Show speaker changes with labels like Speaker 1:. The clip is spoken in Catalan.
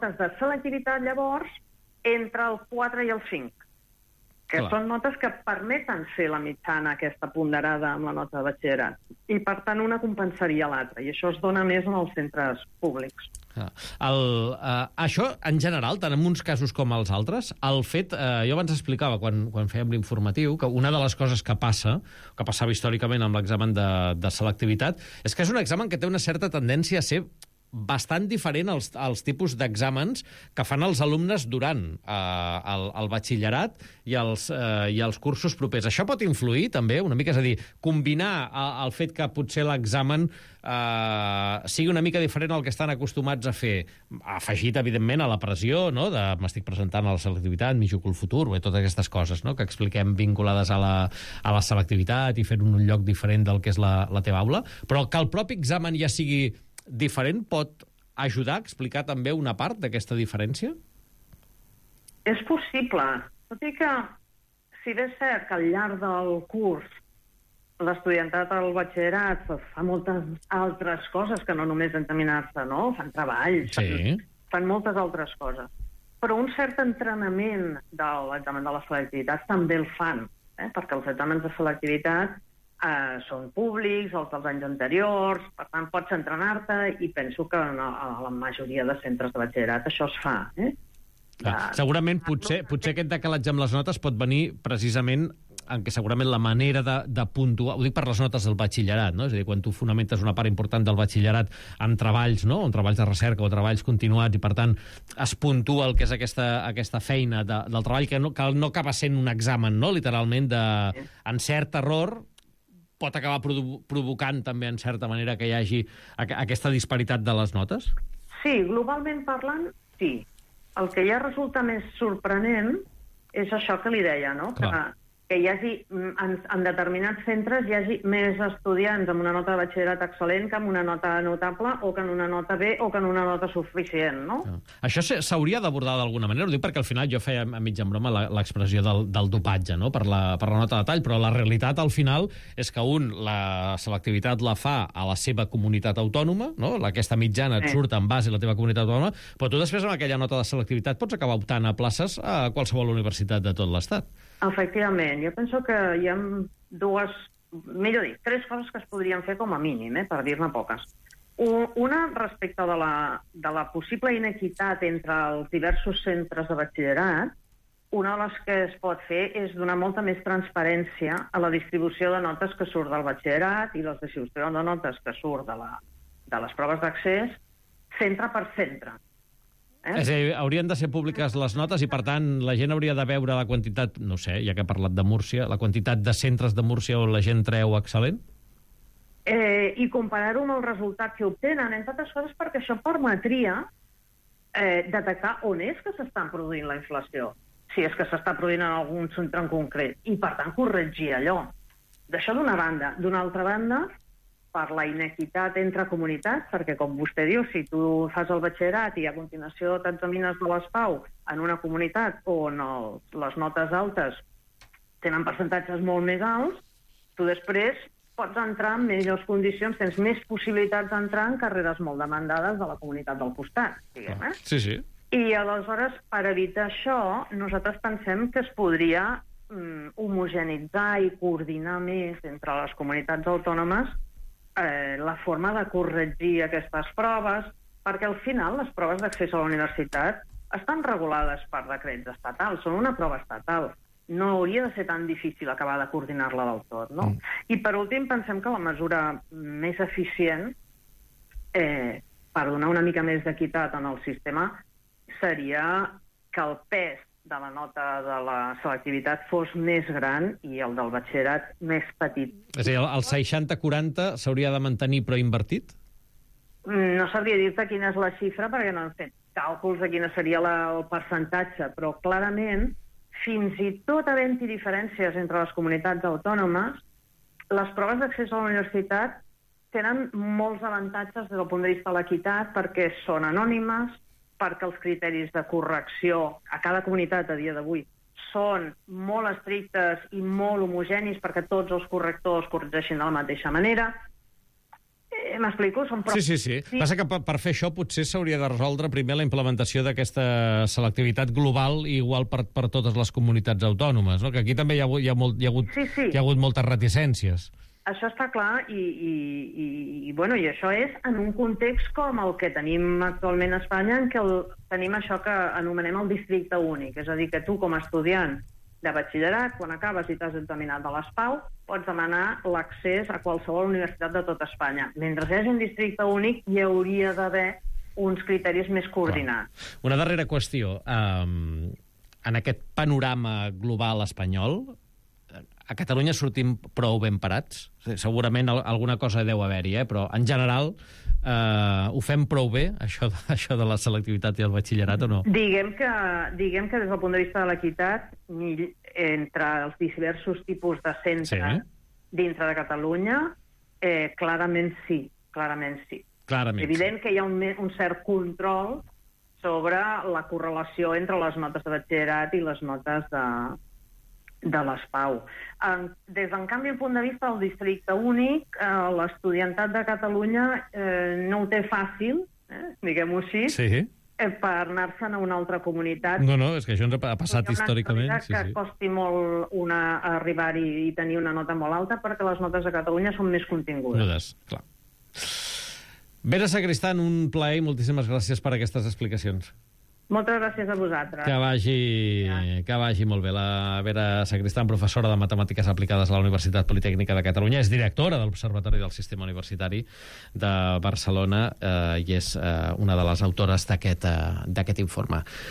Speaker 1: notes de selectivitat, llavors, entre el 4 i el 5, que són notes que permeten fer la mitjana aquesta ponderada amb la nota de batxillerat. I, per tant, una compensaria l'altra. I això es dona més en els centres públics.
Speaker 2: Això, en general, tant en uns casos com els altres, el fet... jo abans explicava, quan fèiem l'informatiu, que una de les coses que passava històricament amb l'examen de selectivitat, és que és un examen que té una certa tendència a ser bastant diferent als tipus d'exàmens que fan els alumnes durant el batxillerat i els cursos propers. Això pot influir, també, una mica, és a dir, combinar el fet que potser l'examen sigui una mica diferent al que estan acostumats a fer, afegit, evidentment, a la pressió, no?, de m'estic presentant a la selectivitat, m'hi jugo el futur, totes aquestes coses, no?, que expliquem vinculades a la selectivitat i fer un lloc diferent del que és la teva aula, però que el propi examen ja sigui diferent pot ajudar a explicar també una part d'aquesta diferència?
Speaker 1: És possible. Tot i que, si bé és cert que al llarg del curs l'estudiantat al batxillerat fa moltes altres coses que no només examinar-se, no? Fan treballs, fan moltes altres coses. Però un cert entrenament de l'examen de la selectivitat també el fan, perquè els exàmens de selectivitat són públics, els dels anys anteriors, per tant pots entrenar-te, i penso que a la majoria de centres de batxillerat això es fa.
Speaker 2: Segurament potser aquest decalatge amb les notes pot venir precisament en què segurament la manera de puntuar, ho dic per les notes del batxillerat, no? És a dir, quan tu fonamentes una part important del batxillerat en treballs, no?, en treballs de recerca o treballs continuats, i per tant es puntua el que és aquesta feina del treball, que no acaba sent un examen, no?, literalment, d'encert, error, pot acabar provocant també, en certa manera, que hi hagi aquesta disparitat de les notes?
Speaker 1: Sí, globalment parlant, sí. El que ja resulta més sorprenent és això que li deia, no?, que hi hagi, en determinats centres hi hagi més estudiants amb una nota de batxillerat excel·lent que amb una nota notable, o que en una nota B, o que en una nota suficient, no?
Speaker 2: Això s'hauria d'abordar d'alguna manera, ho dic perquè al final jo feia a mitja en broma l'expressió del dopatge, no?, per la nota de tall, però la realitat al final és que la selectivitat la fa a la seva comunitat autònoma, no?, aquesta mitjana et surt en base a la teva comunitat autònoma, però tu després amb aquella nota de selectivitat pots acabar optant a places a qualsevol universitat de tot l'Estat.
Speaker 1: Efectivament, jo penso que hi ha tres coses que es podrien fer com a mínim, per dir-ne poques. Una, respecte de la possible inequitat entre els diversos centres de batxillerat, una de les que es pot fer és donar molta més transparència a la distribució de notes que surt del batxillerat i la distribució de notes que surt de les proves d'accés, centre per centre.
Speaker 2: És a dir, haurien de ser públiques les notes i, per tant, la gent hauria de veure la quantitat, no sé, ja que he parlat de Múrcia, la quantitat de centres de Múrcia on la gent treu excel·lent?
Speaker 1: I comparar-ho amb el resultat que obtenen, entre altres coses, perquè això permetria detectar on és que s'està produint la inflació, si és que s'està produint en algun centre en concret, i, per tant, corregir allò. D'això d'una banda. D'una altra banda, per la inequitat entre comunitats, perquè, com vostè diu, si tu fas el batxillerat i a continuació t'examines de les PAU en una comunitat on les notes altes tenen percentatges molt més alts, tu després pots entrar en millors condicions, tens més possibilitats d'entrar en carreres molt demandades de la comunitat del costat, diguem,
Speaker 2: Sí.
Speaker 1: I, aleshores, per evitar això, nosaltres pensem que es podria homogenitzar i coordinar més entre les comunitats autònomes la forma de corregir aquestes proves, perquè al final les proves d'accés a la universitat estan regulades per decrets estatals, són una prova estatal. No hauria de ser tan difícil acabar de coordinar-la del tot, no? I per últim pensem que la mesura més eficient per donar una mica més d'equitat en el sistema seria que el pes de la nota de la selectivitat fos més gran i el del batxillerat més petit.
Speaker 2: És a dir, el 60-40 s'hauria de mantenir però invertit?
Speaker 1: No sabria dir-te quina és la xifra perquè no hem fet càlculs de quina seria el percentatge, però clarament, fins i tot havent-hi diferències entre les comunitats autònomes, les proves d'accés a la universitat tenen molts avantatges des del punt de vista de l'equitat perquè són anònimes, perquè els criteris de correcció a cada comunitat a dia d'avui són molt estrictes i molt homogenis perquè tots els correctors corregeixin de la mateixa manera. M'explico?
Speaker 2: Sí. Passa que per fer això potser s'hauria de resoldre primer la implementació d'aquesta selectivitat global i igual per totes les comunitats autònomes, no? Que aquí també hi ha hagut moltes reticències.
Speaker 1: Això està clar i això és en un context com el que tenim actualment a Espanya, en què tenim això que anomenem el districte únic, és a dir, que tu com a estudiant de batxillerat, quan acabes i t'has examinat de les PAU, pots demanar l'accés a qualsevol universitat de tot Espanya. Mentre hi hagi un districte únic, hi hauria d'haver uns criteris més coordinats.
Speaker 2: Una darrera qüestió. En aquest panorama global espanyol, a Catalunya sortim prou ben parats? Segurament alguna cosa deu haver-hi, però en general ho fem prou bé, això de la selectivitat i el batxillerat, o no?
Speaker 1: Diguem que des del punt de vista de l'equitat, entre els diversos tipus de centres dintre de Catalunya, clarament sí.
Speaker 2: Clarament.
Speaker 1: Evident que hi ha un cert control sobre la correlació entre les notes de batxillerat i les notes de les PAU. Des d'en canvi, el punt de vista del districte únic, l'estudiantat de Catalunya no ho té fàcil, diguem-ho així, per anar-se'n a una altra comunitat.
Speaker 2: No, és que això ens ha passat històricament.
Speaker 1: Que costi molt arribar-hi i tenir una nota molt alta, perquè les notes de Catalunya són més contingudes.
Speaker 2: Clar. Vera Sacristán, un plaer i moltíssimes gràcies per aquestes explicacions.
Speaker 1: Moltes gràcies a vosaltres.
Speaker 2: Que vagi molt bé. La Vera Sacristán, professora de Matemàtiques Aplicades a la Universitat Politècnica de Catalunya, és directora de l'Observatori del Sistema Universitari de Barcelona i és una de les autores d'aquest informe.